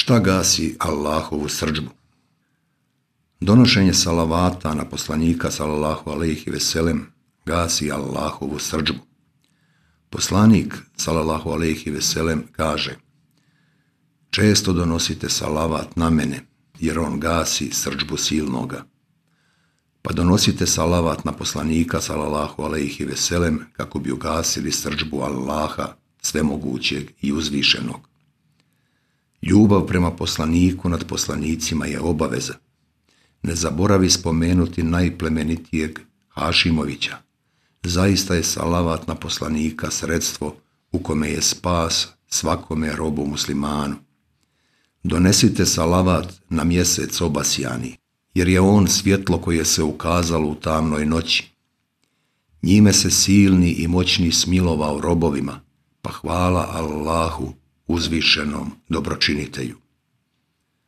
Šta gasi Allahovu srdžbu? Donošenje salavata na poslanika sallallahu alejhi ve sellem gasi Allahovu srdžbu. Poslanik sallallahu alejhi ve sellem kaže: često donosite salavat na mene, jer on gasi srdžbu silnoga. Pa donosite salavat na poslanika sallallahu alejhi ve sellem kako bi ugasili srdžbu Allaha, svemogućeg i uzvišenog. Ljubav prema poslaniku nad poslanicima je obaveza. Ne zaboravi spomenuti najplemenitijeg Hašimovića. Zaista je salavat na poslanika sredstvo u kome je spas svakome robu muslimanu. Donesite salavat na mjesec obasjani, jer je on svjetlo koje se ukazalo u tamnoj noći. Njime se silni i moćni smilovao robovima, pa hvala Allahu uzvišenom dobročinitelju.